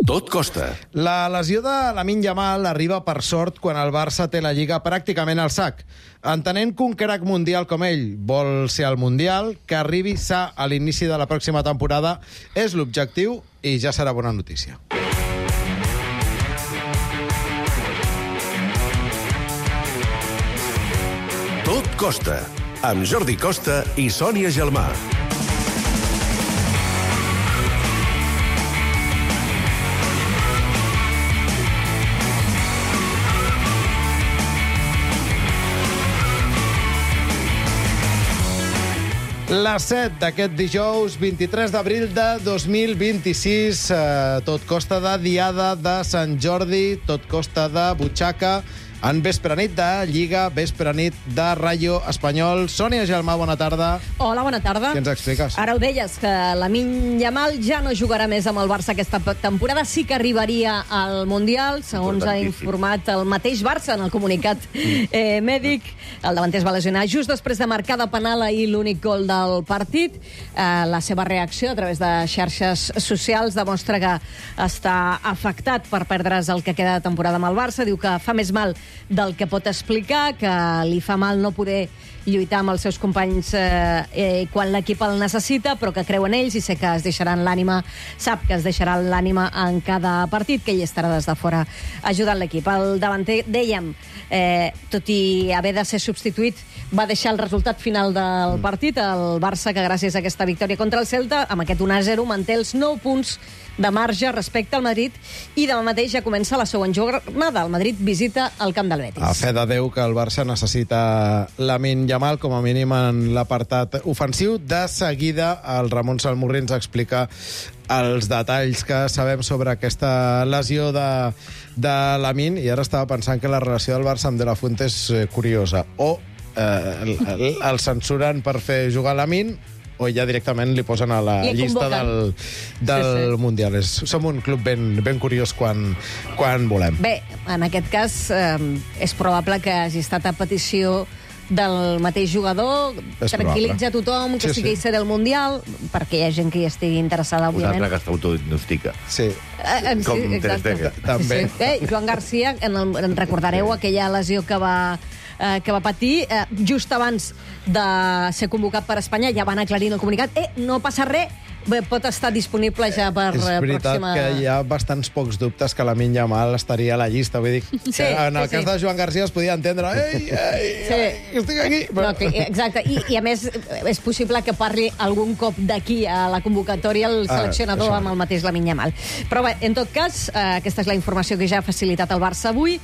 Tot costa. La lesió de Lamine Yamal arriba per sort quan el Barça té la Lliga pràcticament al sac. Entenent que un crac mundial com ell vol ser al Mundial, que arribi sa a l'inici de la pròxima temporada és l'objectiu i ja serà bona notícia. Tot costa, amb Jordi Costa i Sònia Gelmà. Les 7 d'aquest dijous, 23 d'abril de 2026. Tot costa de Diada de Sant Jordi, tot costa de butxaca, en vespre nit de Lliga, vespre nit de Rayo Espanyol. Sònia Gelmà, bona tarda. Hola, bona tarda. Què ens expliques? Ara ho deies, que Lamine Yamal ja no jugarà més amb el Barça aquesta temporada. Sí que arribaria al Mundial, segons ha informat el mateix Barça en el comunicat mèdic. El davanter es va lesionar just després de marcar de penal ahir l'únic gol del partit. La seva reacció a través de xarxes socials demostra que està afectat per perdre's el que queda de temporada amb el Barça. Diu que fa més mal del que pot explicar, que li fa mal no poder lluitar amb els seus companys quan l'equip el necessita, però que creu en ells i sé que es deixaran l'ànima, sap que es deixarà l'ànima en cada partit, que ell estarà des de fora ajudant l'equip. El davanter, dèiem, tot i haver de ser substituït, va deixar el resultat final del partit. El Barça, que gràcies a aquesta victòria contra el Celta, amb aquest 1-0, manté els 9 punts de marge respecte al Madrid, i demà mateix ja comença la següent jornada. El Madrid visita el camp del Betis. A fe de Déu que el Barça necessita Lamine Yamal, com a mínim en l'apartat ofensiu. De seguida, el Ramon Salmurri ens explica els detalls que sabem sobre aquesta lesió de Lamine, i ara estava pensant que la relació del Barça amb De La Fuente és curiosa. O el censuren per fer jugar Lamine, o ja directament li posen a la llista del Mundial. Som un club ben curiós quan volem. Bé, en aquest cas és probable que hagi estat a petició del mateix jugador, tranquil·litza tothom, que sigui ser del Mundial, perquè hi ha gent que hi estigui interessada, òbviament. Una altra que s'autodiagnostica. Sí. Com Ter Stegen. També. Joan Garcia, en recordareu aquella lesió que va patir just abans de ser convocat per Espanya, ja van aclarir en el comunicat, no passa res, pot estar disponible ja per és veritat pròxima... que hi ha bastants pocs dubtes que Lamine Yamal estaria a la llista. Vull dir, que en el cas de Joan Garcia es podia entendre estic aquí. No, exacte, i a més és possible que parli algun cop d'aquí a la convocatòria el seleccionador amb el mateix Lamine Yamal. Però bé, en tot cas, aquesta és la informació que ja ha facilitat el Barça avui,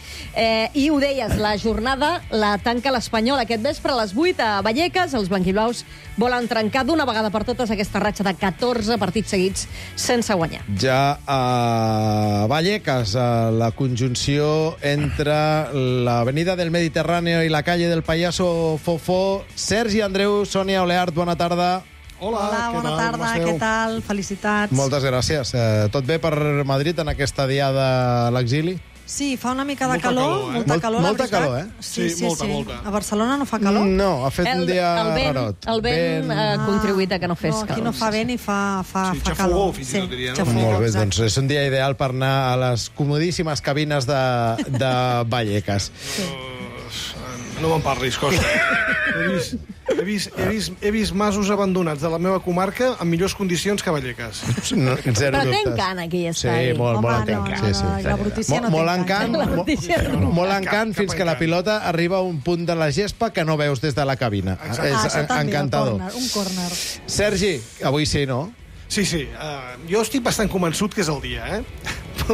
i ho deies, la jornada la tanca l'Espanyol aquest vespre a les 8 a Vallecas. Els blanquiblaus volen trencar d'una vegada per totes aquesta ratxa de 14 partits seguits sense guanyar. Ja a Vallecas, la conjunció entre l'avenida del Mediterráneo i la calle del Payaso Fofó. Sergi Andreu, Sònia Oleart, bona tarda. Hola, bona tarda, què tal? Felicitats. Moltes gràcies. Tot bé per Madrid en aquesta diada a l'exili? Sí, fa una mica de calor, molta calor, la veritat. Molta calor, eh? Sí, molta. A Barcelona no fa calor? No, ha fet un dia rarot. El vent ha contribuït a que no fes calor. No, aquí no fa vent i fa calor. Xafogó, fins i tot diria, no? Molt bé, doncs és un dia ideal per anar a les comodíssimes cabines de Vallecas. No me'n parlis, Costa. He vist masos abandonats de la meva comarca en millors condicions que Vallecas. No, zero però dubtes. té encant aquí estar. Sí, molt encant. La brutícia no té encant. Molt encant fins que la pilota arriba a un punt de la gespa que no veus des de la cabina. És encantador. Un córner. Sergi, avui sí, no? Sí. Jo estic bastant convençut que és el dia,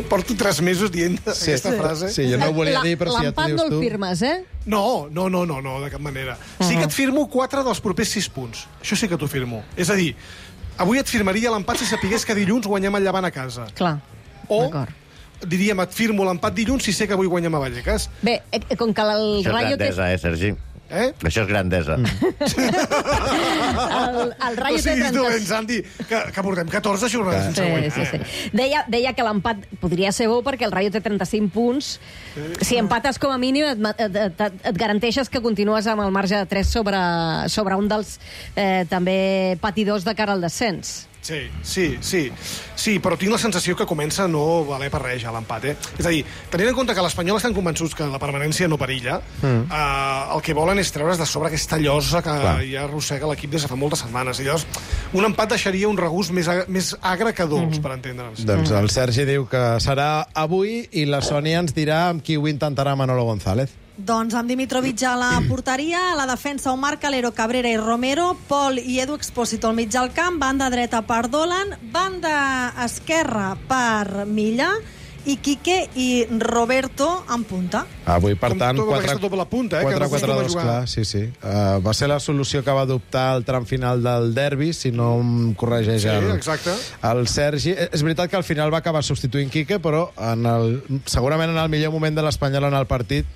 Porto 3 mesos dient aquesta frase. Sí, jo no ho volia dir, però si ja t'ho L'empat dius no el tu... firmes, No, de cap manera. Sí que et firmo 4 dels propers 6 punts. Això sí que t'ho firmo. És a dir, avui et firmaria l'empat si sapigués que dilluns guanyem el Llevant a casa. Clar, d'acord. Diríem, et firmo l'empat dilluns si sé que avui guanyem a Vallecas. Bé, com que el Rayo té... Això és grandesa, Sergi. Això és grandesa. El Rayo no siguis dolent, Santi, que portem 14 jornades sense guanyar. Sí. Deia que l'empat podria ser bo perquè el Rayo té 35 punts. Si empates com a mínim et garanteixes que continues amb el marge de 3 sobre un dels també patidors de cara al descens. Sí, però tinc la sensació que comença a no valer per res ja l'empat, És a dir, tenint en compte que l'Espanyol estan convençuts que la permanència no perilla, el que volen és treure's de sobre aquesta llosa que ja arrossega l'equip des de fa moltes setmanes. I llavors, un empat deixaria un regust més agre que dolç, per entendre'ns. Doncs el Sergi diu que serà avui i la Sònia ens dirà amb qui ho intentarà Manolo González. Doncs amb Dimitrovic a la porteria, a la defensa Omar Calero, Cabrera i Romero, Pol i Edu Expósito al mig del camp, banda dreta per Dolan, banda esquerra per Milla i Quique i Roberto en punta. Avui, per tant, 4-4-2, clar, sí. Va ser la solució que va adoptar el tram final del derbi, si no em corregeix el Sergi. És veritat que al final va acabar substituint Quique, però segurament en el millor moment de l'Espanyol en el partit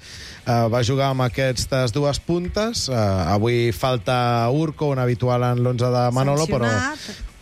va jugar amb aquestes dues puntes. Avui falta Urco, un habitual en l'11 de Manolo,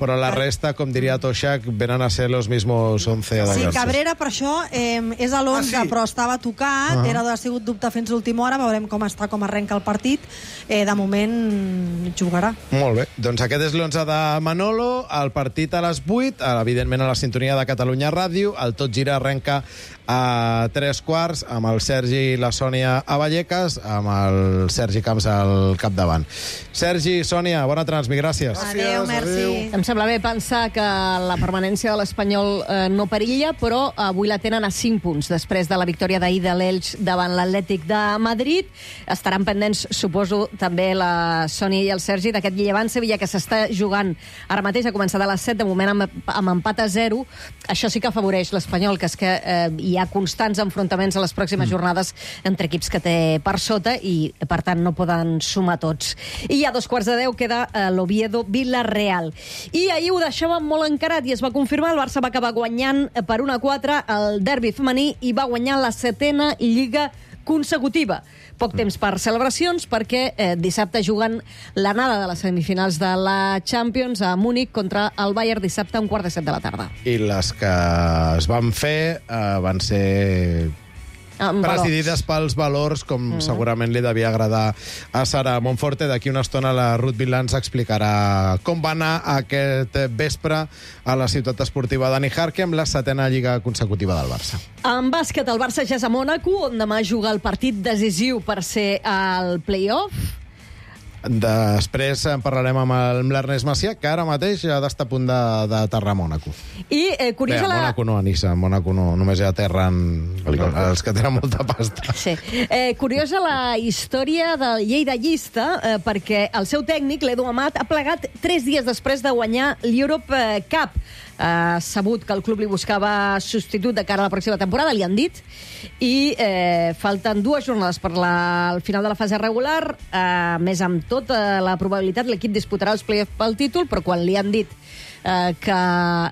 però la resta, com diria Toshak, venen a ser los mismos 11 de Sí, Cabrera, per això, és a l'11, però estava tocat, ha sigut dubte fins l'última hora, veurem com està, com arrenca el partit. De moment jugarà. Molt bé, doncs aquest és l'11 de Manolo, el partit a les 8, evidentment a la sintonia de Catalunya Ràdio, el Tot Gira arrenca a 3:15, amb el Sergi i la Sònia a Vallecas, amb el Sergi Camps al capdavant. Sergi, Sònia, bona transmi, gràcies. Adéu, merci. Em sembla bé pensar que la permanència de l'Espanyol no perilla, però avui la tenen a 5 punts, després de la victòria d'ahir de l'Elx davant l'Atlètic de Madrid. Estaran pendents, suposo, també la Sònia i el Sergi, d'aquest Llevant-Sevilla que s'està jugant ara mateix, ha començat a les 7, de moment amb empat a 0. Això sí que afavoreix l'Espanyol, que és que hi ha constants enfrontaments a les pròximes jornades entre equips que té per sota i, per tant, no poden sumar tots. I a 9:15 queda l'Oviedo Villarreal. I ahir ho deixàvem molt encarat i es va confirmar, el Barça va acabar guanyant per 1-4 el derbi femení i va guanyar la 7ª Lliga consecutiva. Poc temps per celebracions, perquè dissabte juguen l'anada de les semifinals de la Champions a Múnich contra el Bayern, dissabte a 6:45 de la tarda. I les que es van fer van ser presidides pels valors, com segurament li devia agradar a Sara Monforte. D'aquí una estona la Ruth Vilà ens explicarà com va anar aquest vespre a la ciutat esportiva de Nijarque amb la 7ª Lliga consecutiva del Barça. En bàsquet, el Barça ja és a Mònaco, on demà juga el partit decisiu per ser al play-off. Després en parlarem amb l'Ernest Macià, que ara mateix ja ha d'estar a punt d'aterrar a Mònaco. I curiosa la... Mònaco no, a Niça. A Mònaco no, només ja aterren els que tenen molta pasta. Sí. Curiosa la història del lleidallista, perquè el seu tècnic, l'Edu Amat, ha plegat 3 dies després de guanyar l'Europe Cup. Ha sabut que el club li buscava substitut de cara a la pròxima temporada, li han dit, i falten 2 jornades per al final de la fase regular, més amb tota la probabilitat l'equip disputarà els play-offs pel títol, però quan li han dit que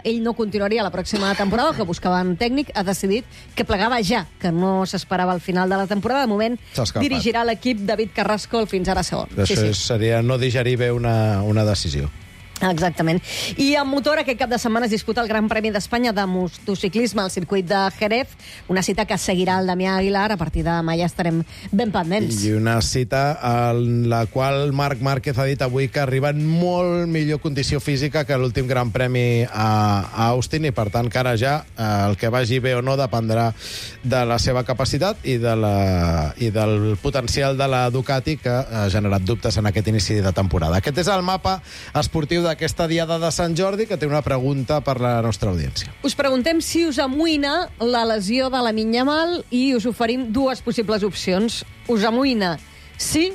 ell no continuaria la pròxima temporada, que buscaven tècnic, ha decidit que plegava ja, que no s'esperava al final de la temporada. De moment dirigirà l'equip David Carrasco, el fins ara segon. Això seria no digerir bé una decisió. Exactament. I en motor, aquest cap de setmana es disputa el Gran Premi d'Espanya de motociclisme al circuit de Jerez, una cita que seguirà el Damià Aguilar. A partir de demà ja estarem ben pendents. I una cita en la qual Marc Márquez ha dit avui que arriba en molt millor condició física que l'últim Gran Premi a Austin, i per tant que ara ja el que vagi bé o no dependrà de la seva capacitat i del potencial de la Ducati, que ha generat dubtes en aquest inici de temporada. Aquest és el mapa esportiu d'aquesta diada de Sant Jordi, que té una pregunta per la nostra audiència. Us preguntem si us amoïna la lesió de Lamine Yamal i us oferim 2 possibles opcions. Us amoïna sí,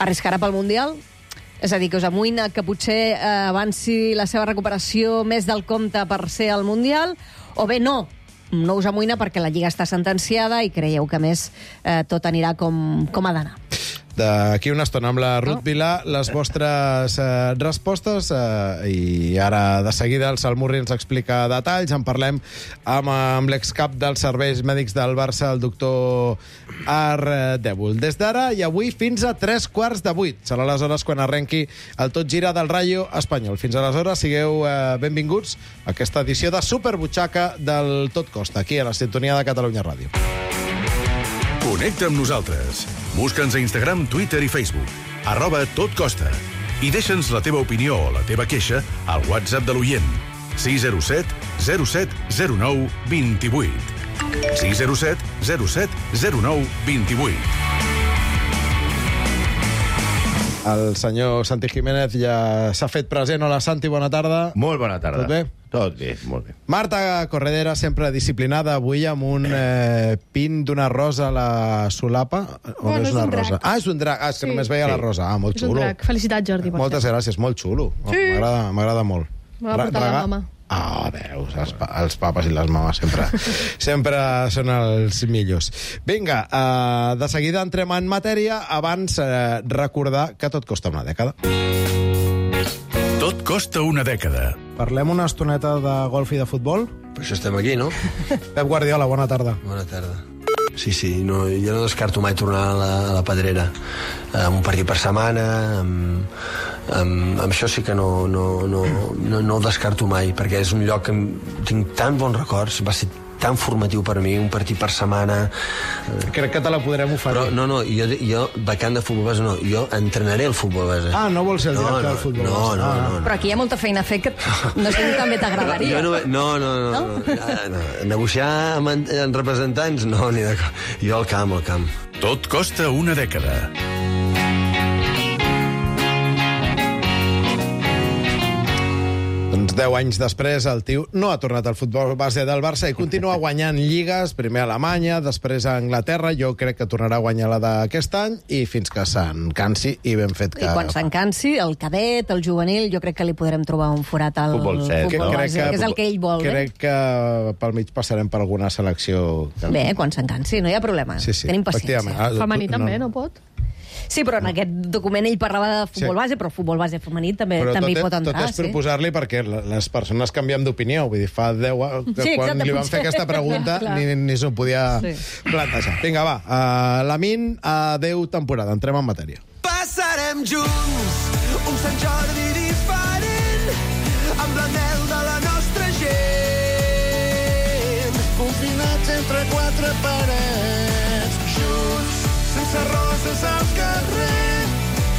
arriscarà pel Mundial, és a dir, que us amoïna que potser avanci la seva recuperació més del compte per ser al Mundial, o bé no us amoïna perquè la Lliga està sentenciada i creieu que més tot anirà com ha d'anar. D'aquí una estona amb la Ruth Vilà, les vostres respostes, i ara de seguida el Salmurri ens explica detalls. En parlem amb l'excap dels serveis mèdics del Barça, el doctor Ardèvol. Des d'ara i avui fins a 7:45. Serà aleshores quan arrenqui el Tot Gira del Rayo Espanyol. Fins aleshores, sigueu benvinguts a aquesta edició de Superbutxaca del Tot Costa, aquí a la sintonia de Catalunya Ràdio. Connecta amb nosaltres. Busca'ns a Instagram, Twitter i Facebook. @totcosta. i deixa'ns la teva opinió o la teva queixa al WhatsApp de l'oient. 607 07 09 28. 607 07 09 28. El senyor Santi Jiménez ja s'ha fet present. Hola, Santi, bona tarda. Molt bona tarda. Tot bé? Tot bé, molt bé. Marta Corredera, sempre disciplinada, avui amb un pin d'una rosa a la solapa. O Bueno, no és un una rosa? drac. És un drac. És que Sí. només veia la rosa. Molt És un xulo. drac. Felicitats, Jordi. per Moltes cert. gràcies, molt xulo. Sí. M'agrada molt. Me va portar la mama. Ah, veus, els papes i les mames sempre són els millors. Vinga, de seguida entrem en matèria. Abans, recordar que tot costa una dècada. Tot costa una dècada. Parlem una estoneta de golf i de futbol? Per això estem aquí, no? Pep Guardiola, bona tarda. Bona tarda. Sí, no, jo no descarto mai tornar a la Pedrera. Amb un partit per setmana, amb això sí que no ho descarto mai, perquè és un lloc que tinc tan bons records, va ser tan formatiu per mi, un partit per setmana. Crec que te la podrem oferir. Però no, jo vacant de futbol base no, jo entrenaré el futbol base. Ah, no vols ser el director del futbol base. No. Però aquí hi ha molta feina a fer que no sé si també t'agradaria. No. Negociar amb representants, no, ni de... Jo al camp. Tot costa una dècada. Doncs 10 anys després el tio no ha tornat al futbol base del Barça i continua guanyant lligues, primer a Alemanya, després a Anglaterra, jo crec que tornarà a guanyar la d'aquest any i fins que se'n cansi i ben fet que... I quan se'n cansi, el cadet, el juvenil, jo crec que li podrem trobar un forat al Futbol set, futbol no? base, que és el que ell vol. Crec que pel mig passarem per alguna selecció... Bé, quan se'n cansi, no hi ha problema. Sí, Tenim paciència. efectivament. Femení també, no pot? Sí, però en aquest document ell parlava de futbol base, però el futbol base femení també hi pot entrar. Tot és proposar-li perquè les persones canviem d'opinió. Vull dir, fa 10 anys, Sí, quan exacte, li van potser. fer aquesta pregunta, Clar. ni s'ho podia Sí. plantejar. Vinga, va. Lamin, adeu temporada. Entrem en matèria. Passarem junts un Sant Jordi diferent amb l'anel de la nostra gent. Confinats entre quatre parets, junts, sense roses al carrer,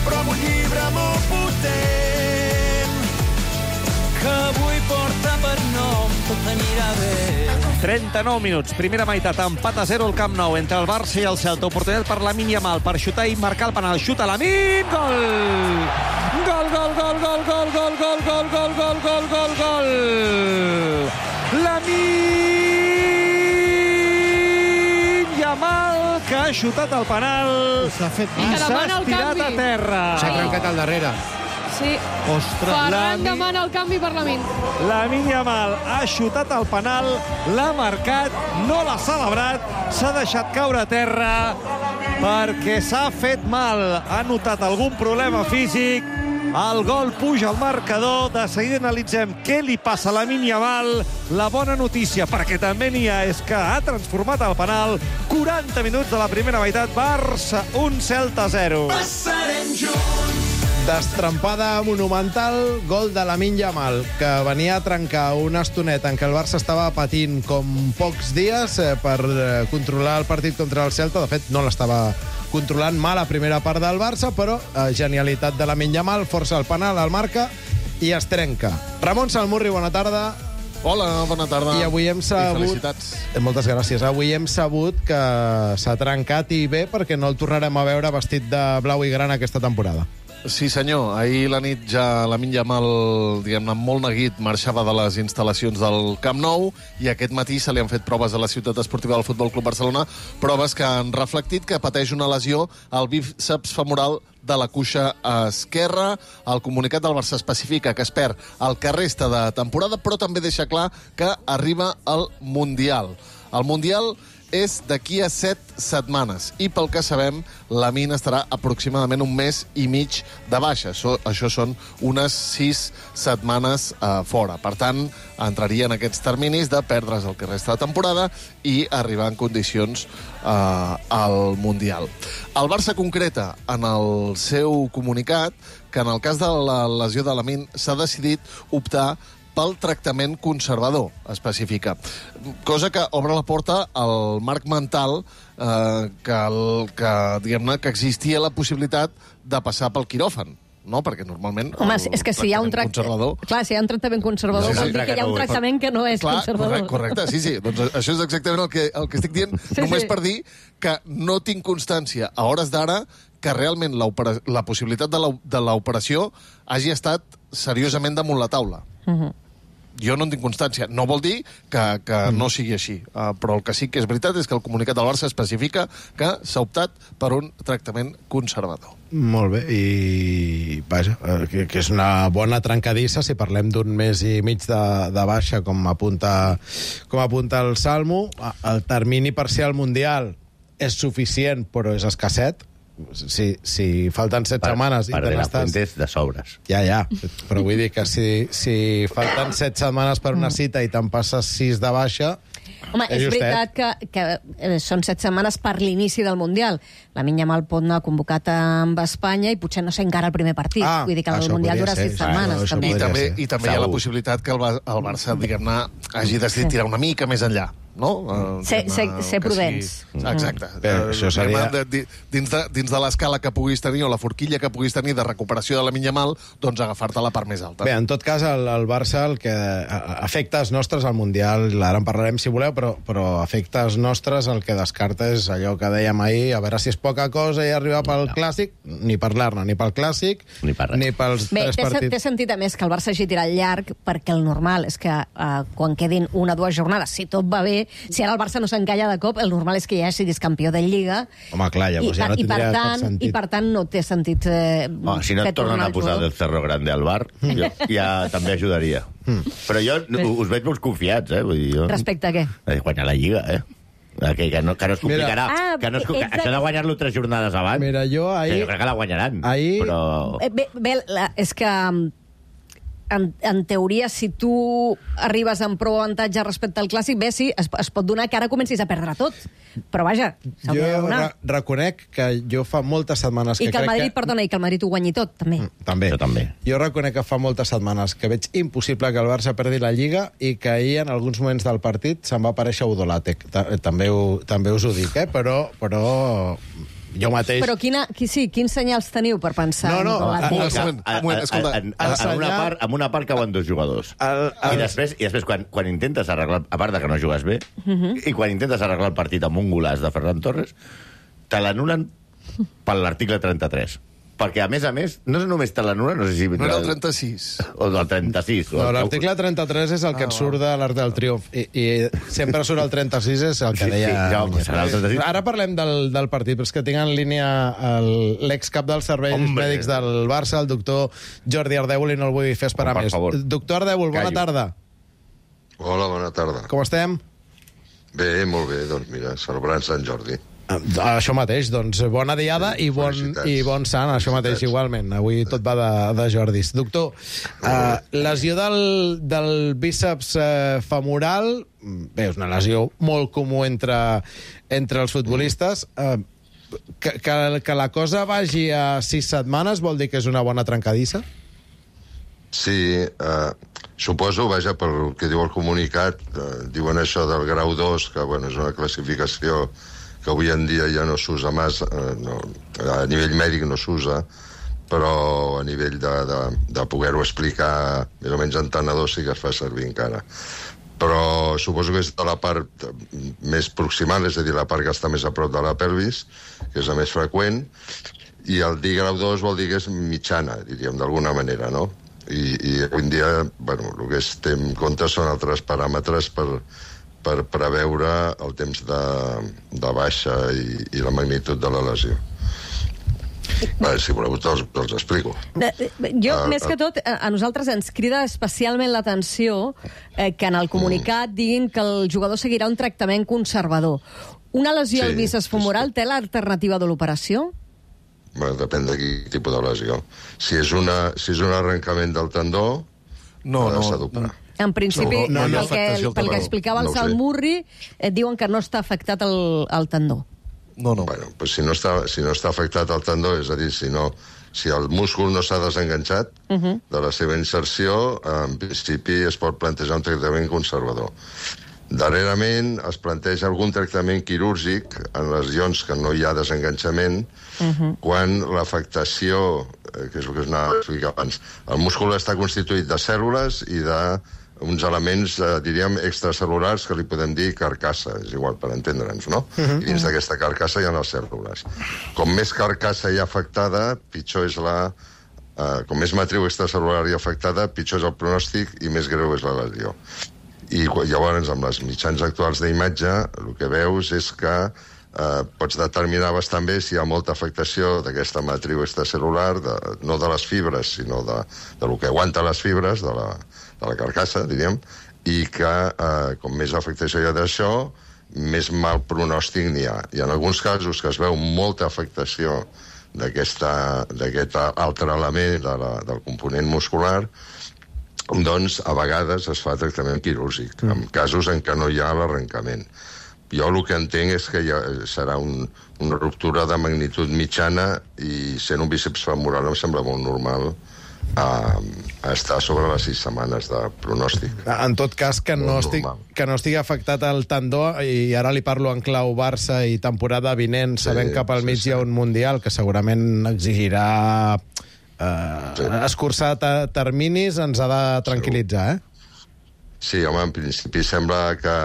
però amb un llibre molt potent que avui porta per nom Tot anirà bé. 39 minuts, primera meitat, empat a 0 al Camp Nou entre el Barça i el Celta. Oportunitat per Lamine Yamal per xutar i marcar el penal. Xuta Lamine, gol! Gol, gol, gol, gol, gol, gol, gol, gol, gol, gol, gol, gol, gol! Lamine Yamal, que ha xutat el penal S'ha fet I que s'ha demana el estirat canvi. a terra. S'ha trencat al darrere. Sí. Ostres, Ferran demana el canvi per Lamine. Lamine Yamal ha xutat el penal, l'ha marcat, no l'ha celebrat, s'ha deixat caure a terra perquè s'ha fet mal. Ha notat algun problema físic. El gol puja al marcador. De seguida analitzem què li passa a Lamine Yamal. La bona notícia, perquè també n'hi ha, és que ha transformat el penal. 40 minuts de la primera meitat. Barça 1, Celta 0. Passarem junts. Destrampada monumental, gol de Lamine Yamal, que venia a trencar una estoneta en què el Barça estava patint com pocs dies per controlar el partit contra el Celta. De fet, no l'estava controlant mal a primera part del Barça, però genialitat de Lamine Yamal, força el penal, el marca i es trenca. Ramon Salmurri, bona tarda. Hola, bona tarda. I avui hem sabut... I felicitats. Moltes gràcies. Avui hem sabut que s'ha trencat i bé perquè no el tornarem a veure vestit de blau i gran aquesta temporada. Sí, senyor. Ahir la nit ja Lamine Yamal, diguem-ne, molt neguit, marxava de les instal·lacions del Camp Nou i aquest matí se li han fet proves a la ciutat esportiva del Futbol Club Barcelona, proves que han reflectit que pateix una lesió al bíceps femoral de la cuixa esquerra. El comunicat del Barça especifica que es perd el que resta de temporada, però també deixa clar que arriba el Mundial. El Mundial és d'aquí a 7 setmanes i pel que sabem Lamine estarà aproximadament un mes i mig de baixa. Això són unes 6 setmanes fora. Per tant, entraria en aquests terminis de perdre's el que resta de temporada i arribar en condicions al Mundial. El Barça concreta en el seu comunicat que en el cas de la lesió de Lamine s'ha decidit optar pel tractament conservador, específica. Cosa que obre la porta al marc mental que existia la possibilitat de passar pel quiròfan. no? Perquè normalment... Home, és que si hi ha un conservador... Clar, si hi ha un tractament conservador, vol dir que hi ha un tractament que no és conservador. Correcte, sí. Doncs això és exactament el que estic dient, només per dir que no tinc constància a hores d'ara que realment la possibilitat de l'operació hagi estat seriosament damunt la taula. Jo no en tinc constància. No vol dir que no sigui així. Però el que sí que és veritat és que el comunicat del Barça especifica que s'ha optat per un tractament conservador. Molt bé, i vaja, que és una bona trencadissa si parlem d'un mes i mig de baixa, com apunta el Salmo. El termini per ser al Mundial és suficient, però és escasset. Si falten 7 setmanes... Per de la Fuentes, de sobres. Ja, però vull dir que si falten 7 setmanes per una cita i te'n passes 6 de baixa... Home, és veritat que són 7 setmanes per l'inici del Mundial. Lamine Yamal pot anar convocat amb Espanya i potser no sé encara el primer partit. Vull dir que el Mundial dura 6 setmanes. I també hi ha la possibilitat que el Barça, diguem-ne, hagi decidit tirar una mica més enllà. No? Ser prudents. Exacte. Això seria... Dins de l'escala que puguis tenir o la forquilla que puguis tenir de recuperació de Lamine Yamal, doncs agafar-te la part més alta. Bé, en tot cas, el Barça, el que efectes nostres al Mundial, ara en parlarem si voleu, però efectes nostres el que descarta és allò que dèiem ahir, a veure si és poca cosa i arribar pel Clàssic, ni parlar-ne, ni pel Clàssic, ni pels 3 partits. Té sentit, a més, que el Barça hagi tirat llarg, perquè el normal és que quan quedin 1 o 2 jornades, si tot va bé, si ara el Barça no s'encalla de cop, el normal és que ja siguis campió de Lliga. Home, clar, llavors ja no tindria cap sentit. I per tant no té sentit si no et tornen a posar del Cerro Grande al bar, jo ja també ajudaria. Però jo us veig molt confiats, vull dir, jo... Respecte a què? Guanyar la Lliga, que no es complicarà. Això de guanyar-lo 3 jornades abans... Mira, jo ahir... Jo crec que la guanyaran, però... Bé, és que... En teoria, si tu arribes amb prou avantatge respecte al Clàssic, bé, sí, es pot donar que ara comencis a perdre tot. Però vaja, s'hauria de donar. Jo reconec que jo fa moltes setmanes que crec que... I que el Madrid ho guanyi tot, també. També. Jo reconec que fa moltes setmanes que veig impossible que el Barça perdi la Lliga i que ahir, en alguns moments del partit, se'n va aparèixer Udolàtec. També us ho dic, però jo mateix... Però quins senyals teniu per pensar? En una part cauen 2 jugadors. I després quan intentes arreglar, a part de que no jugues bé, i quan intentes arreglar el partit amb un golaç de Ferran Torres, te l'anulen per l'article 33. Perquè, a més, no només te l'anulen, no sé si... No era el 36. O del 36. No, l'article 33 és el que et surt de l'Arc del Triomf. I sempre surt el 36, és el que deia... Ara parlem del partit, però és que tinc en línia l'excap dels serveis mèdics del Barça, el doctor Jordi Ardèvol, i no el vull fer esperar més. Doctor Ardèvol, bona tarda. Hola, bona tarda. Com estem? Bé, molt bé. Doncs mira, celebrant Sant Jordi. Això mateix, doncs bona diada i bon sant, això mateix igualment. Avui tot va de Jordis. Doctor, lesió del bíceps femoral, bé, és una lesió molt comú entre els futbolistes. Que la cosa vagi a 6 setmanes vol dir que és una bona trencadissa? Sí, suposo, vaja, pel que diu el comunicat, diuen això del grau 2, que bueno, és una classificació que avui en dia ja no s'usa massa, a nivell mèdic no s'usa, però a nivell de poder-ho explicar més o menys entenedor sí que es fa servir encara. Però suposo que és de la part més proximal, és a dir, la part que està més a prop de la pelvis, que és la més freqüent, i el dir grau 2 vol dir que és mitjana, diríem, d'alguna manera, no? I avui en dia, bueno, el que es té en compte són altres paràmetres per preveure el temps de baixa i la magnitud de la lesió. Si voleu, els explico. Jo, més que tot, a nosaltres ens crida especialment l'atenció que en el comunicat diguin que el jugador seguirà un tractament conservador. Una lesió al bíceps femoral té l'alternativa de l'operació? Bueno, depèn de quin tipus de lesió. Si és un arrencament del tendó, s'ha d'operar. En principi, pel que explicava el Sal Murri, diuen que no està afectat el tendó. Bueno, pues si no està afectat el tendó, és a dir, si el múscul no s'ha desenganxat de la seva inserció, en principi es pot plantejar un tractament conservador. Darrerament es planteja algun tractament quirúrgic en lesions que no hi ha desenganxament, quan l'afectació que és el que us anava a explicar abans. El múscul està constituït de cèl·lules i d'uns elements, diríem, extracel·lulars que li podem dir carcassa, és igual, per entendre'ns, no? I dins d'aquesta carcassa hi ha les cèl·lules. Com més carcassa hi ha afectada, pitjor és com més matriu extracel·lular hi ha afectada, pitjor és el pronòstic i més greu és la lesió. I llavors, amb els mitjans actuals d'imatge, el que veus és que pots determinar bastant bé si hi ha molta afectació d'aquesta matriu extracel·lular, no de les fibres, sinó del que aguanta les fibres, de la carcassa, diríem, i que com més afectació hi ha d'això, més mal pronòstic n'hi ha. I en alguns casos que es veu molta afectació d'aquest altre element del component muscular, doncs a vegades es fa tractament quirúrgic, en casos en què no hi ha l'arrencament. Jo el que entenc és que serà una ruptura de magnitud mitjana i sent un bíceps femoral em sembla molt normal estar sobre les 6 setmanes de pronòstic. En tot cas, que no estigui afectat el tendó, i ara li parlo en clau Barça i temporada vinent, sabent que pel mig hi ha un Mundial que segurament exigirà escurçar terminis, ens ha de tranquil·litzar, Sí, home, en principi sembla que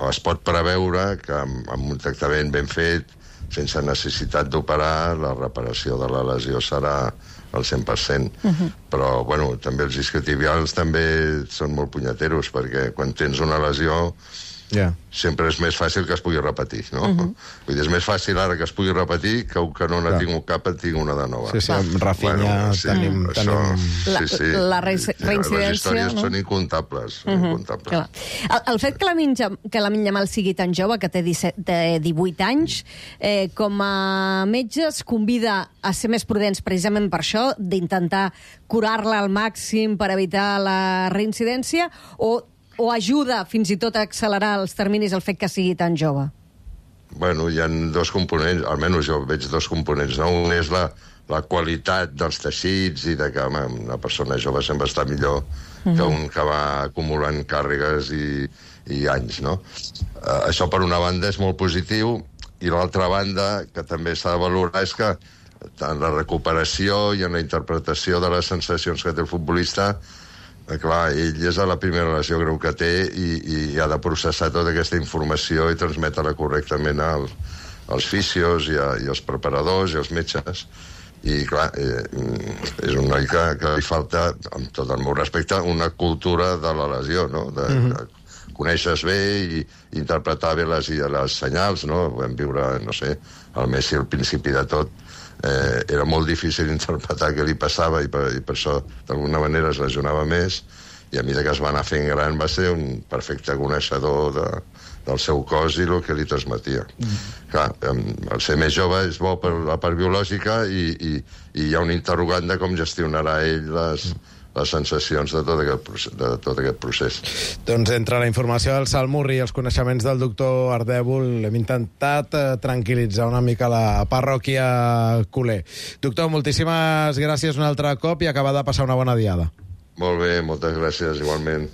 es pot preveure que amb un tractament ben fet, sense necessitat d'operar, la reparació de la lesió serà al 100%. Però, bueno, també els isquiotibials també són molt punyeteros, perquè quan tens una lesió sempre és més fàcil que es pugui repetir, no? Vull dir, és més fàcil ara que es pugui repetir que un que no n'ha tingut cap en tingui una de nova. Sí, amb Rafinha tenim... La reincidència... Les històries són incomptables. El fet que Lamine Yamal sigui tan jove, que té 18 anys, com a metge es convida a ser més prudents precisament per això, d'intentar curar-la al màxim per evitar la reincidència, o ajuda fins i tot a accelerar els terminis el fet que sigui tan jove? Bueno, hi ha dos components, almenys jo veig dos components, no? Un és la qualitat dels teixits i de que una persona jove sempre està millor que un que va acumulant càrregues i anys, no? Això, per una banda, és molt positiu, i l'altra banda, que també s'ha de valorar, és que en la recuperació i en la interpretació de les sensacions que té el futbolista, clar, ell és a la primera lesió greu que té i ha de processar tota aquesta informació i transmetre-la correctament als fisios i als preparadors i als metges. I, clar, és un noi que li falta, amb tot el meu respecte, una cultura de la lesió, no? Coneixes bé i interpretar bé les senyals, no? Vam viure, no sé, el Messi al principi de tot, era molt difícil interpretar què li passava i per això d'alguna manera es lesionava més, i a mesura que es va anar fent gran va ser un perfecte coneixedor del seu cos i el que li transmetia. Clar, el ser més jove és bo per la part biològica i hi ha un interrogant de com gestionarà ell les sensacions de tot aquest procés. Doncs entre la informació del Salmurri i els coneixements del doctor Ardèvol hem intentat tranquil·litzar una mica la parròquia culer. Doctor, moltíssimes gràcies un altre cop i acabar de passar una bona diada. Molt bé, moltes gràcies, igualment.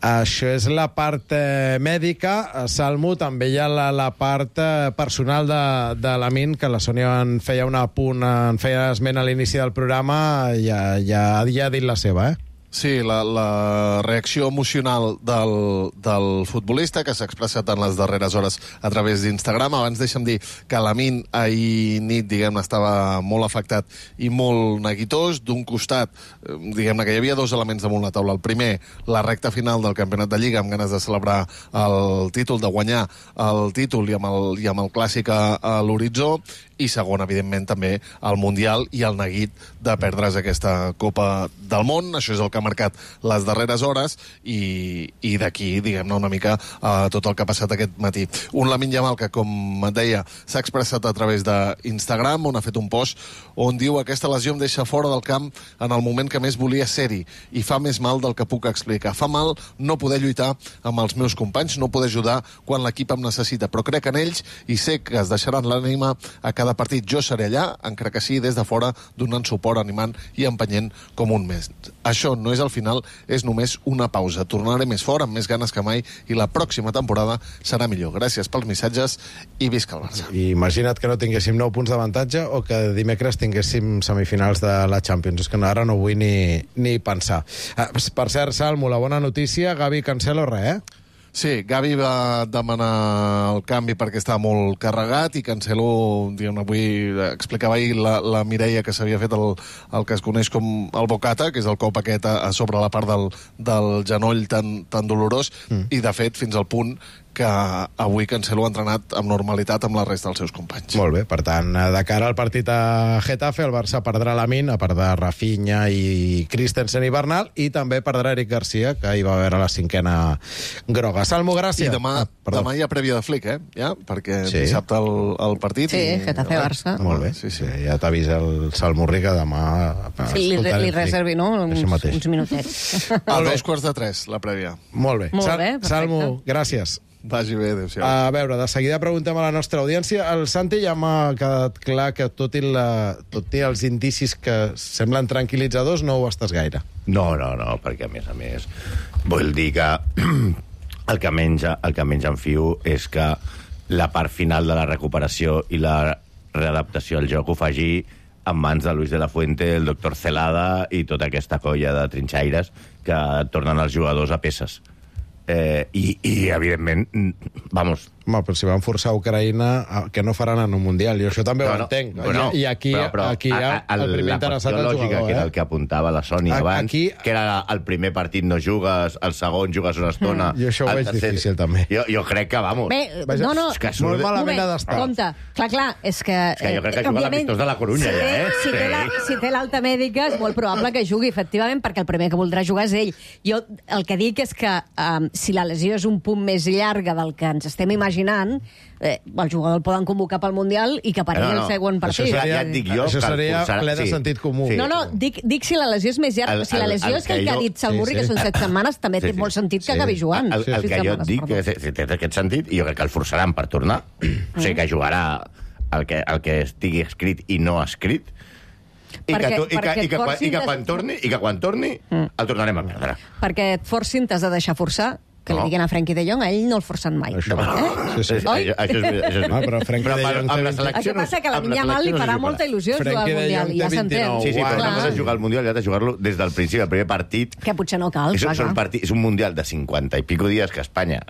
Això és la part mèdica. Salmo, també hi ha la part personal de Lamine, que la Sònia en feia un apunt, en feia esment a l'inici del programa, ja ha dit la seva, Sí, la reacció emocional del futbolista, que s'ha expressat en les darreres hores a través d'Instagram. Abans deixa'm dir que Lamine ahir nit, diguem-ne, estava molt afectat i molt neguitós. D'un costat, diguem-ne que hi havia dos elements damunt la taula. El primer, la recta final del campionat de Lliga, amb ganes de celebrar el títol, de guanyar el títol i amb el clàssic a l'horitzó. I segon, evidentment, també el Mundial i el neguit de perdre's aquesta Copa del Món. Això és el que ha marcat les darreres hores i d'aquí, diguem-ne, una mica tot el que ha passat aquest matí. Un Lamine Yamal que, com et deia, s'ha expressat a través d'Instagram, on ha fet un post on diu: aquesta lesió em deixa fora del camp en el moment que més volia ser-hi i fa més mal del que puc explicar. Fa mal no poder lluitar amb els meus companys, no poder ajudar quan l'equip em necessita, però crec en ells i sé que es deixaran l'ànima a cada cada partit. Jo seré allà, encara que sí, des de fora, donant suport, animant i empenyent com un mes. Això no és el final, és només una pausa. Tornaré més fort, amb més ganes que mai, i la pròxima temporada serà millor. Gràcies pels missatges i visca el Barça. I imagina't que no tinguéssim 9 punts d'avantatge o que dimecres tinguéssim semifinals de la Champions. És que ara no vull ni pensar. Per cert, Salmo, la bona notícia, Gavi i Cancelo, res, Sí, Gavi va demanar el canvi perquè estava molt carregat i Cancelo, diguem, avui explicava ahir la Mireia que s'havia fet el que es coneix com el bocata, que és el cop aquest a sobre la part del genoll tan dolorós, i de fet fins al punt que avui Cancelo ha entrenat amb normalitat amb la resta dels seus companys. Molt bé, per tant, de cara al partit a Getafe, el Barça perdrà Lamine, a part de Rafinha i Christensen i Bernal, i també perdrà Eric Garcia, que hi va haver la 5a groga. Salmo, gràcies. I demà hi ha prèvia de Flick, ja? Perquè dissabte el partit... Sí, Getafe-Barça. Molt bé, ja t'avisa el Salmo Riga demà... Sí, li reservi, no? Uns minutets. A 2:45, la prèvia. Molt bé. Salmo, gràcies. Vagi bé, adéu-siau. A veure, de seguida preguntem a la nostra audiència. El Santi ja m'ha quedat clar que tot i els indicis que semblen tranquil·litzadors, no ho estàs gaire. No, perquè a més vull dir que el que menys enfio és que la part final de la recuperació i la readaptació al joc ho faci en mans de Luis de la Fuente, el doctor Celada i tota aquesta colla de trinxaires que tornen els jugadors a peces. I evidentment, vamos... Home, però si van forçar Ucraïna, que no faran en un Mundial? Jo això també ho entenc. I aquí el primer interessat el jugador. Que era el que apuntava la Sònia abans, que era el primer partit no jugues, el segon jugues una estona... Jo això ho veig difícil, també. Jo crec que, vamos... Bé, no... Molt malament ha d'estar. Compte, clar, és que... És que jo crec que juga l'amistós de la Corunya, ja, Si té l'alta mèdica, és molt probable que jugui, efectivament, perquè el primer que voldrà jugar és ell. Jo el que dic és que si la lesió és un punt més llarga del que ens estem imaginant, el jugador el poden convocar pel Mundial i que pari el següent partit. Això seria ple de sentit comú. No, dic si la lesió és més llarga. Si la lesió és que el que ha dit Salmurri, que són 7 setmanes, també té molt sentit que acabi jugant. El que jo et dic, que té aquest sentit, i jo crec que el forçaran per tornar. O sigui, que jugarà el que estigui escrit i no escrit, i que quan torni el tornarem a perdre. Perquè et forcin, t'has de deixar forçar, que li diguin a Frenkie de Jong, a ell no el forcen mai. Això és però Frenkie de Jong té 20... El que passa que a la Lamine Yamal li farà molta il·lusió jugar al Mundial, ja s'entén. Sí, però no has de jugar al Mundial, ja has de jugar-lo des del principi, el primer partit... Que potser no cal, És un Mundial de 50 i pico dies que Espanya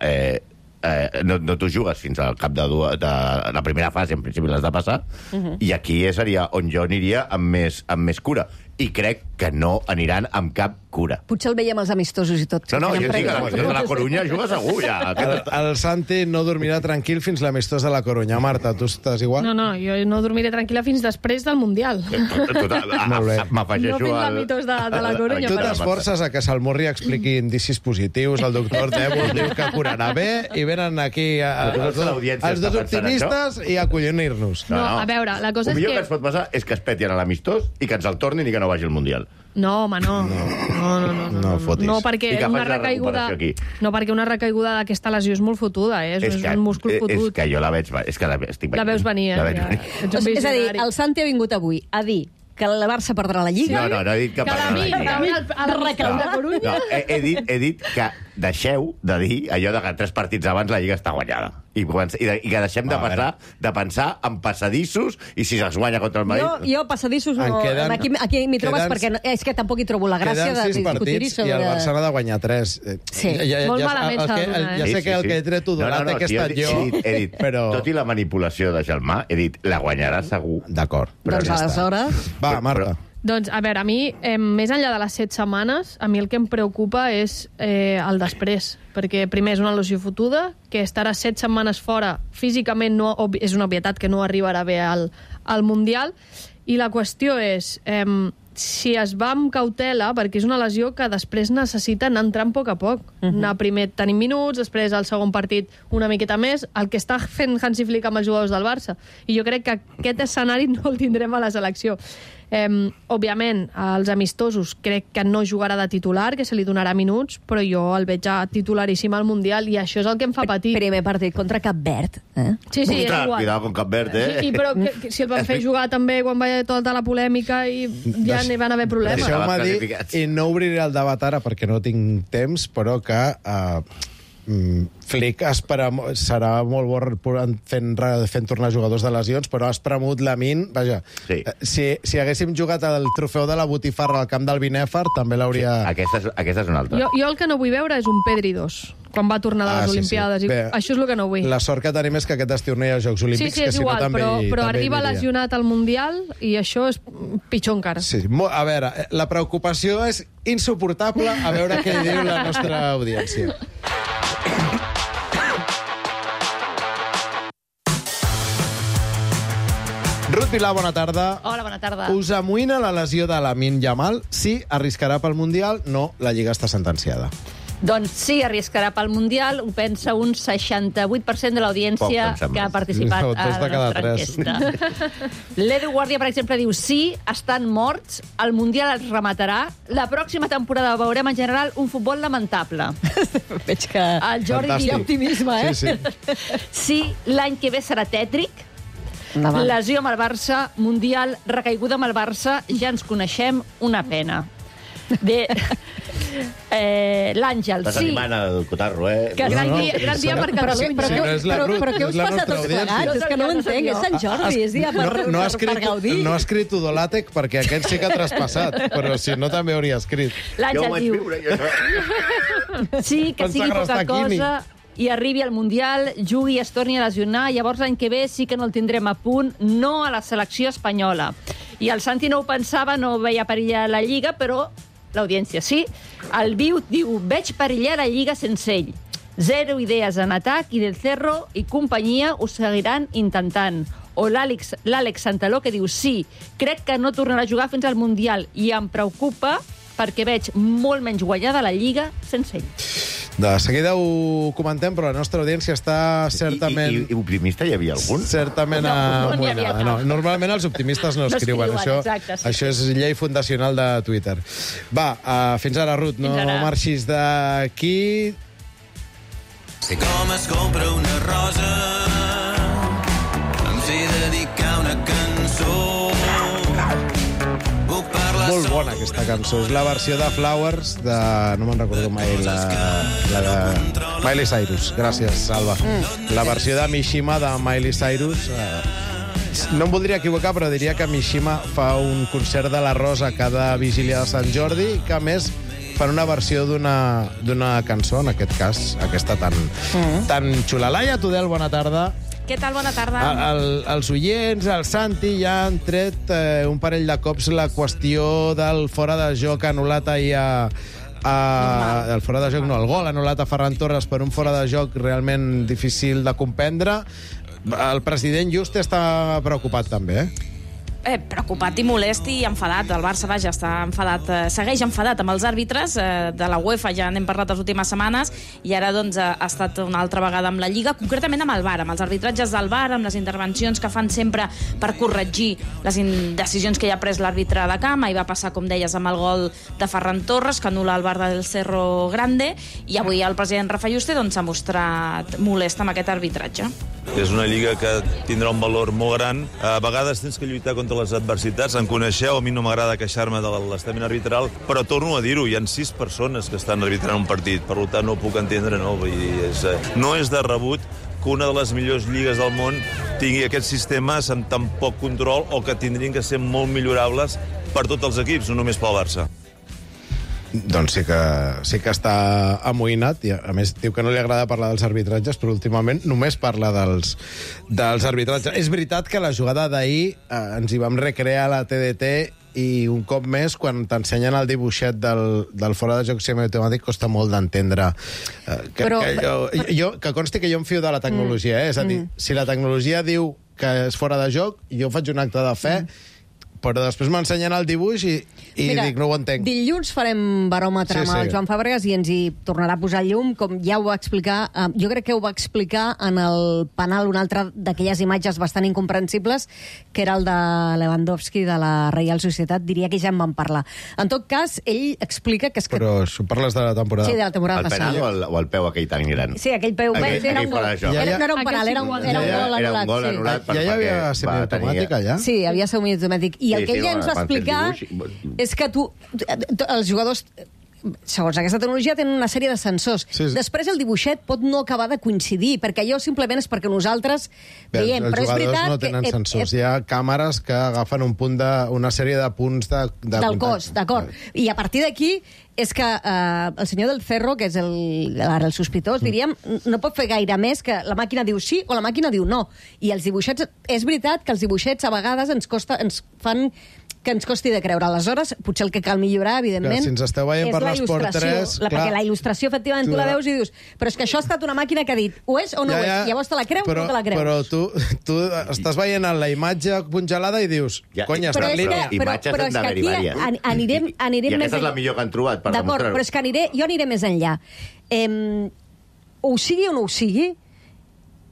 no t'ho jugues fins al cap de la primera fase, en principi l'has de passar, i aquí seria on jo aniria amb més cura. I crec que no aniran amb cap cura. Potser el veiem als amistosos i tot. No, jo sí que la Corunya juga segur, ja. El Santi no dormirà tranquil fins l'amistós de la Corunya. Marta, tu estàs igual? No, jo no dormiré tranquil·la fins després del Mundial. M'afegeixo no fins l'amistós de la Corunya. Tu t'esforces a que Salmurri expliqui indicis positius, el doctor Dèbol diu que curarà bé, i venen aquí els dos optimistes i acollonir-nos. No, a veure, la cosa és que... El millor que ens pot passar és que es peti a l'amistós i que ens el tornin i que no vagi al Mundial. No, home, no. No, perquè una recaiguda d'aquesta lesió és molt fotuda, és un múscul fotut. És que jo la veig... La veus venir, És a dir, el Santi ha vingut avui a dir que el Barça perdrà la Lliga. No he dit que perdrà la Lliga. No, he dit que deixeu de dir allò de que 3 partits abans la Lliga està guanyada. I que deixem de pensar en passadissos i si es guanya contra el Madrid... Jo passadissos no... Aquí m'hi trobes perquè és que tampoc hi trobo la gràcia de discutir-hi sobre... I el Barça n'ha de guanyar 3. Sí, molt malament s'ha de donar. Ja sé que el que he tret Odolat que he estat jo... He dit, tot i la manipulació de Gelmà, he dit, la guanyarà segur. D'acord. Doncs aleshores... Va, Marta. Doncs, a veure, a mi, més enllà de les 7 setmanes, a mi el que em preocupa és el després, perquè primer és una lesió fotuda, que estarà 7 setmanes fora, físicament és una obvietat que no arribarà bé al Mundial, i la qüestió és... si es va amb cautela, perquè és una lesió que després necessita anar entrant a poc. Anar primer tenint minuts, després al segon partit una miqueta més, el que està fent Hansi Flick amb els jugadors del Barça. I jo crec que aquest escenari no el tindrem a la selecció. Òbviament, als amistosos crec que no jugarà de titular, que se li donarà minuts, però jo el veig titularíssim al Mundial i això és el que em fa patir. Primer partit contra Cap Verd. Sí, és igual. Cuidado con Cap Verd, Però si el van fer jugar també quan va haver tota la polèmica i ja n'hi van haver problemes. Deixeu-me dir, i no obriré el debat ara perquè no tinc temps, però que Flick serà molt bo fent tornar jugadors de lesions, però ha espremut Lamine. Vaja, si haguéssim jugat el trofeu de la botifarra al camp del Binèfar, també l'hauria... Aquesta és una altra. Jo el que no vull veure és un Pedri 2, quan va tornar de les Olimpiades. Bé, això és el que no vull. La sort que tenim és que aquest estiu no hi ha Jocs Olímpics, sí, és igual, però arriba lesionat al Mundial i això és pitjor encara. Sí, a veure, la preocupació és insuportable, a veure què diu la nostra audiència. Ruth Vilà, bona tarda. Hola, bona tarda. Us amoïna la lesió de Lamine Yamal? Sí, arriscarà pel Mundial? No, la Lliga està sentenciada. Doncs sí, arriscarà pel Mundial, ho pensa un 68% de l'audiència que ha participat a la nostra enquesta. L'Edu Guàrdia, per exemple, diu sí, estan morts, el Mundial es rematarà, la pròxima temporada veurem en general un futbol lamentable. Veig que el Jordi diu optimisme, Sí, l'any que ve serà tètric, lesió amb el Barça, Mundial, recaiguda amb el Barça, ja ens coneixem, una pena. Bé, l'Àngel, sí. Estàs animant el Cotarro, Gran dia per Catalunya. Però què us passa tots plegats? És que no ho entenc, és Sant Jordi, és dia per gaudir. No ha escrit Udolàtec perquè aquest sí que ha traspassat, però si no també hauria escrit. L'Àngel diu... Sí, que sigui poca cosa i arribi al Mundial, jugui i es torni a lesionar, llavors l'any que ve sí que no el tindrem a punt, no a la selecció espanyola. I el Santi no ho pensava, no veia perillar la Lliga, però l'audiència sí. El Viu diu, veig perillar la Lliga sense ell. Zero idees en atac i Del Cerro i companyia ho seguiran intentant. O l'Àlex Santaló que diu, sí, crec que no tornarà a jugar fins al Mundial i em preocupa perquè veig molt menys guanyada la Lliga sense ell. De seguida ho comentem, però la nostra audiència està certament... I optimista hi havia algun? Certament amoïnada. No, normalment els optimistes no escriuen. Això és llei fundacional de Twitter. Va, fins ara, Ruth, no marxis d'aquí. Sé com es compra una rosa, em sé dedicar una cançó. Molt bona aquesta cançó. És la versió de Flowers de... No me'n recordo mai la de Miley Cyrus. Gràcies, Alba. La versió de Mishima de Miley Cyrus. No em voldria equivocar, però diria que Mishima fa un concert de la Rosa cada vigília de Sant Jordi, que a més fan una versió d'una cançó, en aquest cas, aquesta tan xula. Laia Tudel, bona tarda. Què tal? Bona tarda. Els oients, el Santi, ja han tret un parell de cops la qüestió del fora de joc anul·lat ahir el fora de joc, no, el gol anul·lat a Ferran Torres per un fora de joc realment difícil de comprendre. El president Juste està preocupat també, preocupat i molest i enfadat. El Barça, vaja, està enfadat, segueix enfadat amb els àrbitres de la UEFA, ja n'hem parlat les últimes setmanes, i ara doncs ha estat una altra vegada amb la Lliga, concretament amb el VAR, amb els arbitratges del VAR, amb les intervencions que fan sempre per corregir les decisions que ja ha pres l'àrbitre de camp. Ahir va passar, com deies, amb el gol de Ferran Torres, que anul·la el VAR del Cerro Grande, i avui el president Rafa Juste s'ha mostrat molest amb aquest arbitratge. És una lliga que tindrà un valor molt gran. A vegades tens que lluitar contra les adversitats. En coneixeu, a mi no m'agrada queixar-me de l'estament arbitral, però torno a dir-ho, hi ha 6 persones que estan arbitrant un partit, per tant no ho puc entendre, no? Vull dir, no és de rebut que una de les millors lligues del món tingui aquests sistemes amb tan poc control o que tindrien que ser molt millorables per tots els equips, no només pel Barça. Doncs sí que està amoïnat, i a més diu que no li agrada parlar dels arbitratges, però últimament només parla dels arbitratges. És veritat que la jugada d'ahir ens hi vam recrear a la TDT i un cop més, quan t'ensenyen el dibuixet del fora de joc semiautomàtic, costa molt d'entendre. Que consti que jo em fio de la tecnologia, és a dir, si la tecnologia diu que és fora de joc, jo faig un acte de fe, però després m'ensenyen el dibuix i I Mira, dic, no ho entenc. Dilluns farem baròmetre amb el Joan Fàbregas i ens hi tornarà a posar llum, com ja ho va explicar. Jo crec que ho va explicar en el penal, una altra d'aquelles imatges bastant incomprensibles, que era el de Lewandowski de la Reial Societat. Diria que ja en vam parlar. En tot cas, ell explica que és que... Però això parles de la temporada. Sí, de la temporada el passada. penal o el peu aquell tan gran? Sí, aquell peu. Era un gol. No era un penal, era un gol anul·lat. Era un gol anul·lat. Ja hi havia semiautomàtic allà? Sí, havia semiautomàtic. I el que ella ens va explicar és que els jugadors, segons aquesta tecnologia, tenen una sèrie de sensors. Després el dibuixet pot no acabar de coincidir, perquè allò simplement és perquè nosaltres veiem. Però és veritat no tenen sensors. Hi ha càmeres que agafen una sèrie de punts del cos, d'acord. I a partir d'aquí és que el senyor del Cerro, que és el sospitós, diríem, no pot fer gaire més que la màquina diu sí o la màquina diu no. I els dibuixets, és veritat que els dibuixets a vegades ens fan que ens costi de creure. Aleshores, potser el que cal millorar, evidentment, si ens esteu veient per l'Esport 3... Perquè la il·lustració, efectivament, tu la veus i dius però és que això ha estat una màquina que ha dit o és o no és. Llavors te la creus o no te la creus. Però tu estàs veient la imatge congelada i dius, cony, està en línia. Imatges han d'haver-hi vàries. Anirem I aquesta és la millor que han trobat per demostrar-ho. D'acord, però és que jo aniré més enllà. Ho sigui o no ho sigui,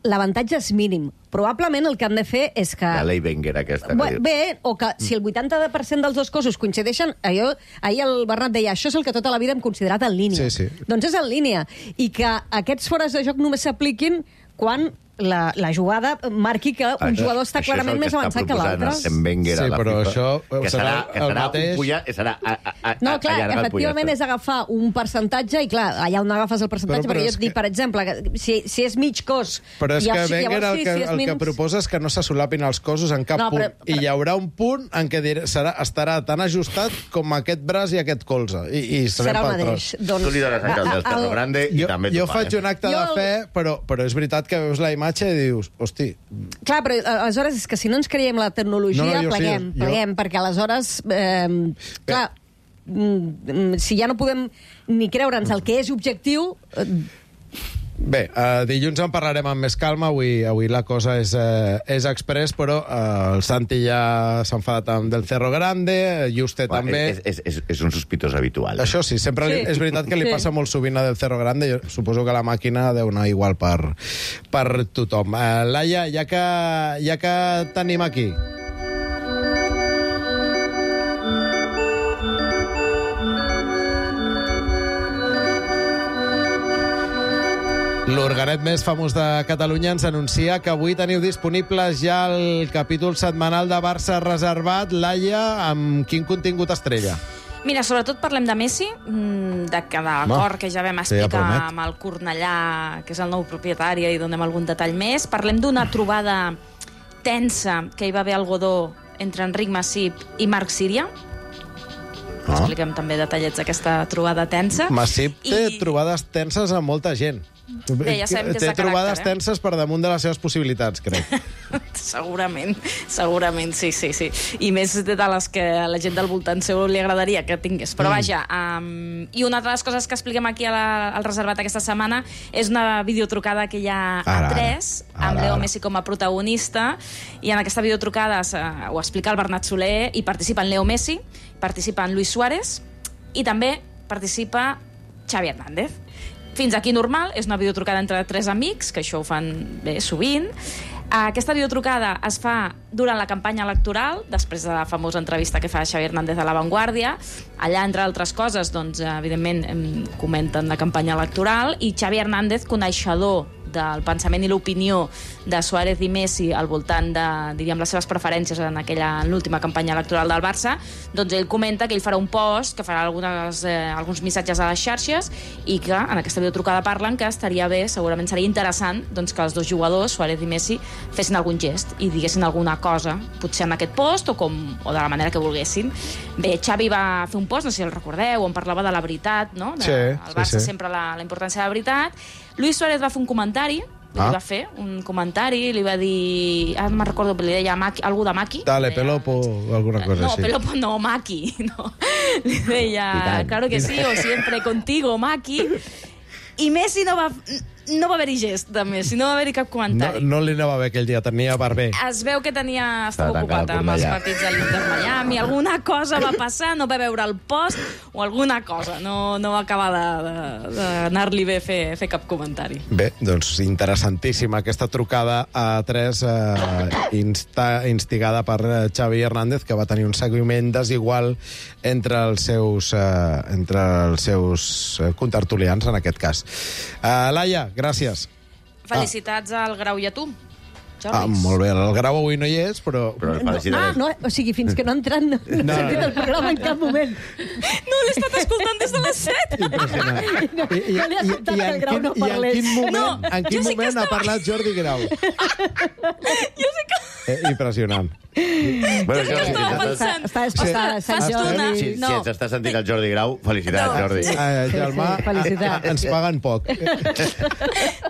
l'avantatge és mínim. Probablement el que han de fer és que... La Lei Wenger, aquesta. Bé, o que si el 80% dels dos cossos coincideixen, ahir el Bernat deia, això és el que tota la vida hem considerat en línia. Sí. Doncs és en línia. I que aquests fores de joc només s'apliquin quan la jugada marqui que un jugador està clarament més avançat que l'altre. Sí, però això que serà un pollat, serà no, clar, efectivament és agafar un percentatge i clar, allà on agafes el percentatge, perquè jo et dic, per exemple, que si és mig cos... Però és que Wenger el que proposa és que no se solapin els cossos en cap punt. I hi haurà un punt en què estarà tan ajustat com aquest braç i aquest colze. I serà el mateix. Tu li dones a del Cerro Grande i també jo faig un acte de fe, però és veritat que veus la imatge i dius, hosti... Clar, però aleshores és que si no ens creiem la tecnologia, pleguem, perquè aleshores, clar, si ja no podem ni creure'ns el que és objectiu... Bé, dilluns en parlarem amb més calma. Avui la cosa és express, però el Santi ja s'ha enfadat amb del Cerro Grande, Juste també... És un sospitós habitual. Això sí, sempre és veritat que li passa molt sovint a del Cerro Grande. Jo suposo que la màquina deu anar igual per tothom. Laia, ja que tenim aquí... L'organet més famós de Catalunya ens anuncia que avui teniu disponibles ja el capítol setmanal de Barça reservat. Laia, amb quin contingut estrella? Mira, sobretot parlem de Messi, de cada acord que ja vam explicar amb el Cornellà, que és el nou propietari, i donem algun detall més. Parlem d'una trobada tensa que hi va haver al Godó entre Enric Massip i Marc Síria. Expliquem també detallets d'aquesta trobada tensa. Massip té trobades tenses amb molta gent. Bé, ja sabem que és de té trobades tenses per damunt de les seves possibilitats, crec. Segurament, sí. I més de les que a la gent del voltant seu li agradaria que tingués. Però vaja, i una de les coses que expliquem aquí al reservat aquesta setmana és una videotrucada que hi ha a 3, amb Leo Messi com a protagonista, i en aquesta videotrucada ho explica el Bernat Soler, i participa en Leo Messi, participa en Luis Suárez, i també participa Xavi Hernández. Fins aquí normal, és una videotrucada entre 3 amics, que això ho fan bé sovint. Aquesta videotrucada es fa durant la campanya electoral, després de la famosa entrevista que fa Xavi Hernández a La Vanguardia. Allà, entre altres coses, doncs, evidentment, comenten la campanya electoral, i Xavi Hernández, coneixedor del pensament i l'opinió de Suárez i Messi al voltant de, diríem, les seves preferències en l'última campanya electoral del Barça, doncs ell comenta que ell farà un post, que farà alguns missatges a les xarxes, i que en aquesta videotrucada parlen que estaria bé, segurament seria interessant, doncs, que els dos jugadors, Suárez i Messi, fessin algun gest i diguessin alguna cosa, potser en aquest post o de la manera que volguessin. Bé, Xavi va fer un post, no sé si el recordeu, on parlava de la veritat, no? El Barça sempre la importància de la veritat. Luis Suárez va fer un comentari, li va dir, no me'n recordo, li deia algú de Maki. Dale, Pelopo, alguna cosa així. No, Pelopo no, Maki. No. Li deia, claro que sí, o siempre contigo, Maki. I Messi no no va haver-hi gest, de més, no va haver-hi cap comentari. No li anava bé aquell dia, tenia barber. Es veu que estava ocupat amb els partits de l'Inter Miami, alguna cosa va passar, no va veure el post o alguna cosa, no va acabar d'anar-li bé fer cap comentari. Bé, doncs interessantíssima aquesta trucada a 3 instigada per Xavi Hernández, que va tenir un seguiment desigual entre els seus contertulians, en aquest cas. Laia, gràcies. Felicitats al Grau i a tu, Jordi. Molt bé, el Grau avui no hi és, però... No, o sigui, fins que no ha entrat no he sentit el programa en cap moment. No l'he estat escoltant des de les 7. No li ha sobtat que el Grau no parlés. En quin moment ha parlat Jordi Grau? Jo sé que... Impressionant. Bueno, jo estava pensant. Està despistada, Sant Jordi. Si ens està sentint el Jordi Grau, felicitats, Jordi. Germà, ens paguen poc.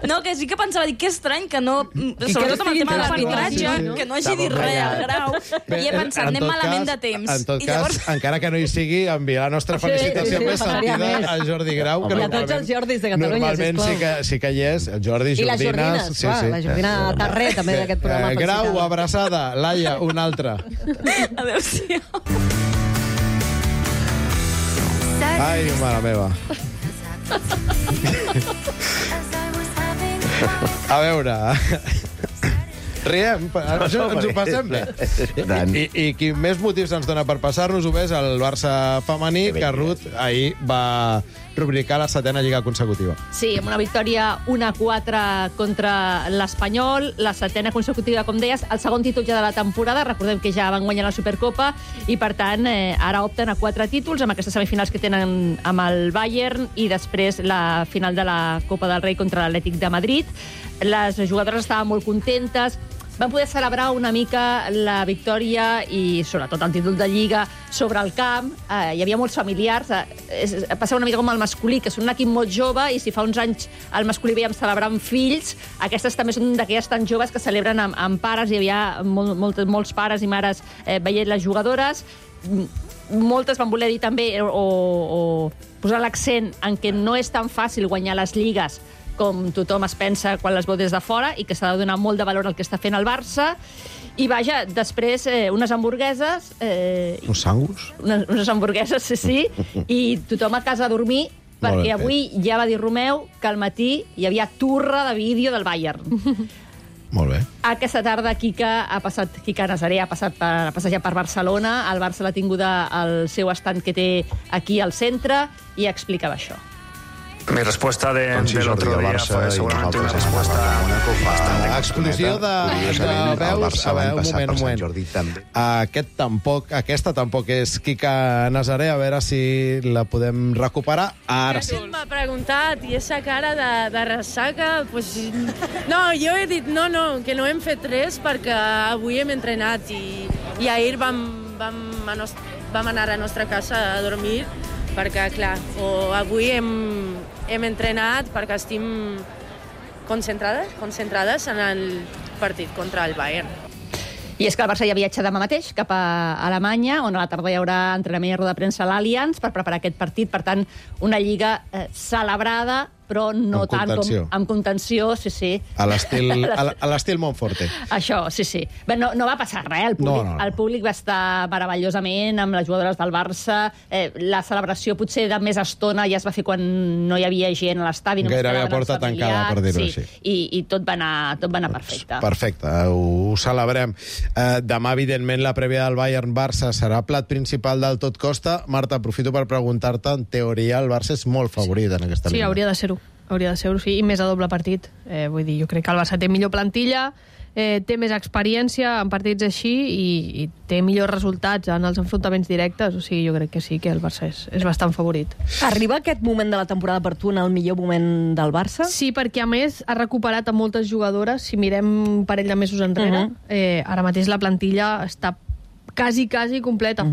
No, que sí que pensava, que estrany que no... Sobretot amb el tema de l'arbitratge, que no hagi dit res al Grau. I he pensat, anem malament de temps. En tot cas, encara que no hi sigui, enviar la nostra felicitació més sentida al Jordi Grau. I a tots els Jordis de Catalunya, normalment sí que hi és. Jordi, Jordines. I les Jordines, clar, la Jordina Tarré, també d'aquest programa. Grau, abraçada. Laia, una altra. Adéu-siau. Ai, mare meva. A veure... Riem, ens ho passem bé. I qui més motius ens dona per passar-nos-ho bé és el Barça femení, que Ruth ahir va rubricar la 7ª lliga consecutiva. Sí, amb una victòria 1-4 contra l'Espanyol, la 7ª consecutiva, com deies, el segon títol ja de la temporada. Recordem que ja van guanyar la Supercopa i, per tant, ara opten a 4 títols amb aquestes semifinals que tenen amb el Bayern i després la final de la Copa del Rei contra l'Atlètic de Madrid. Les jugadores estaven molt contentes, van poder celebrar una mica la victòria i sobretot el títol de Lliga sobre el camp. Hi havia molts familiars. Passava una mica com el masculí, que és un equip molt jove, i si fa uns anys el masculí veiem celebrar amb fills, aquestes també són d'aquelles tan joves que celebren amb pares. Hi havia molts pares i mares veient les jugadores. Moltes van voler dir també o posar l'accent en què no és tan fàcil guanyar les lligues com tothom es pensa quan les veu des de fora, i que s'ha de donar molt de valor al que està fent el Barça. I vaja, després unes hamburgueses... Uns sangus? Unes hamburgueses, sí, i tothom a casa a dormir, perquè avui ja va dir Romeu que al matí hi havia turra de vídeo del Bayern. Molt bé. Aquesta tarda Quica Nazaré ha passat a passejar per Barcelona. El Barça l'ha tinguda al seu estand que té aquí al centre i explicava això. Mi respuesta del otro día fue seguramente una respuesta bastante... Explosió de veus. A veure, un moment. Aquesta tampoc és Quica Nazaré. A veure si la podem recuperar. Ara sí. M'ha preguntat, i esa cara de ressaca... Pues, no, jo he dit no, que no hem fet res perquè avui hem entrenat i ahir vam anar a la nostra casa a dormir perquè, clar, avui hem entrenat perquè estem concentrades en el partit contra el Bayern. I és que el Barça ja viatja demà mateix cap a Alemanya, on a la tarda hi haurà entrenament i roda de premsa a l'Allianz per preparar aquest partit. Per tant, una lliga celebrada, però no tant com amb contenció, sí. A l'estil Montforte. Això, sí. Bé, no va passar res, el públic va estar meravellosament amb les jugadores del Barça. La celebració potser de més estona ja es va fer quan no hi havia gent a l'estadi. Gairebé a porta tancada, per dir-ho així. I tot va anar perfecte. Perfecte, ho celebrem. Demà, evidentment, la prèvia del Bayern-Barça serà plat principal del tot costa. Marta, aprofito per preguntar-te, en teoria el Barça és molt favorit en aquesta línia. Sí, hauria de ser-ho. Sí, i més a doble partit. Vull dir, jo crec que el Barça té millor plantilla, té més experiència en partits així i té millors resultats en els enfrontaments directes. O sigui, jo crec que sí, que el Barça és bastant favorit. Arriba aquest moment de la temporada per tu en el millor moment del Barça? Sí, perquè a més ha recuperat a moltes jugadores. Si mirem un parell de mesos enrere, ara mateix la plantilla està quasi completa.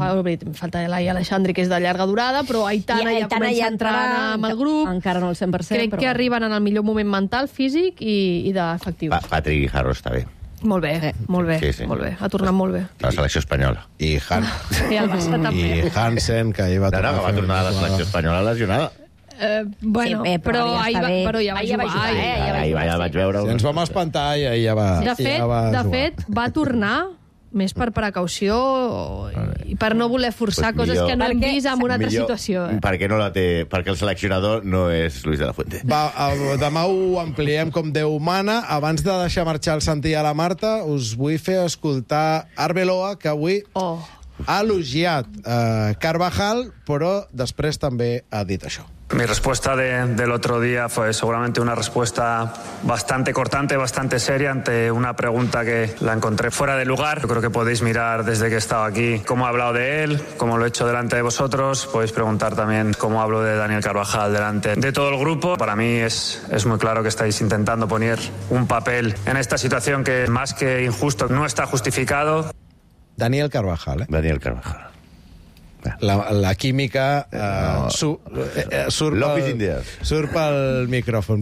Falta l'Ai Alexandri, que és de llarga durada, però Aitana ja comença a entrar amb el grup. Encara no el 100%. Crec que arriben en el millor moment mental, físic i d'efectius. Patrick Guijarro està bé. Molt bé. Sí. Molt bé. Ha tornat molt bé. La selecció espanyola. I el Barça també. I Hansen, que ahir va tornar a la selecció espanyola lesionada. Bueno, Sí, però ja ahir està bé. ja va jugar. Ahir ja vaig veure... Si ens vam espantar i ja va De jugar. fet, va tornar més per precaució i per no voler forçar Pues coses que no hem Perquè- vist en una altra situació. Perquè no la té... Perquè el seleccionador no és Luis de la Fuente. Va, demà ho ampliem com Déu mana. Abans de deixar marxar el Santi i a la Marta, us vull fer escoltar Arbeloa, que avui ha elogiat Carvajal, però després també ha dit això. Mi respuesta del otro día fue seguramente una respuesta bastante cortante, bastante seria ante una pregunta que la encontré fuera de lugar. Yo creo que podéis mirar desde que he estado aquí cómo he hablado de él, cómo lo he hecho delante de vosotros. Podéis preguntar también cómo hablo de Daniel Carvajal delante de todo el grupo. Para mí es muy claro que estáis intentando poner un papel en esta situación que más que injusto no está justificado. Daniel Carvajal, Daniel Carvajal. La química surt López Indias. surt pel micròfon.